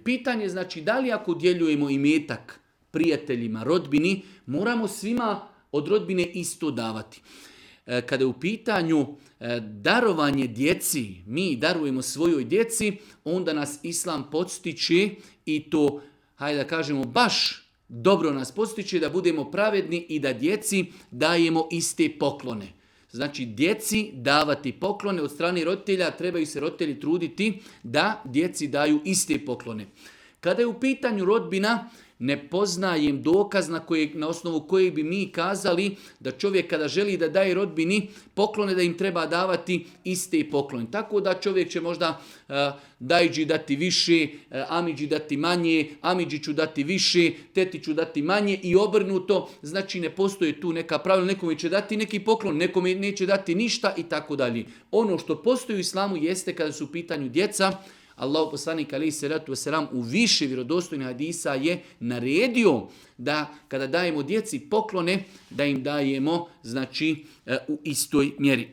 Pitanje znači da li ako djeljujemo imetak prijateljima, rodbini, moramo svima od rodbine isto davati. Kada je u pitanju darovanje djeci, mi darujemo svojoj djeci, onda nas Islam podstiče i to, hajde da kažemo, baš dobro nas podstiče da budemo pravedni i da djeci dajemo iste poklone. Znači, djeci davati poklone od strane roditelja, trebaju se roditelji truditi da djeci daju iste poklone. Kada je u pitanju rodbina, ne poznajem dokaz na osnovu kojeg bi mi kazali da čovjek kada želi da daje rodbini poklone, da im treba davati iste poklone. Tako da čovjek će možda dajđi dati više, amidži dati manje, amidžiću dati više, tetiću dati manje i obrnuto. Znači ne postoje tu neka pravila, nekome će dati neki poklon, nekome neće dati ništa i tako dalje. Ono što postoji u islamu jeste kada su u pitanju djeca, Allahu poslanik alejhi selatu vesselam u više vjerodostojnih hadisa je naredio da kada dajemo djeci poklone, da im dajemo znači u istoj mjeri.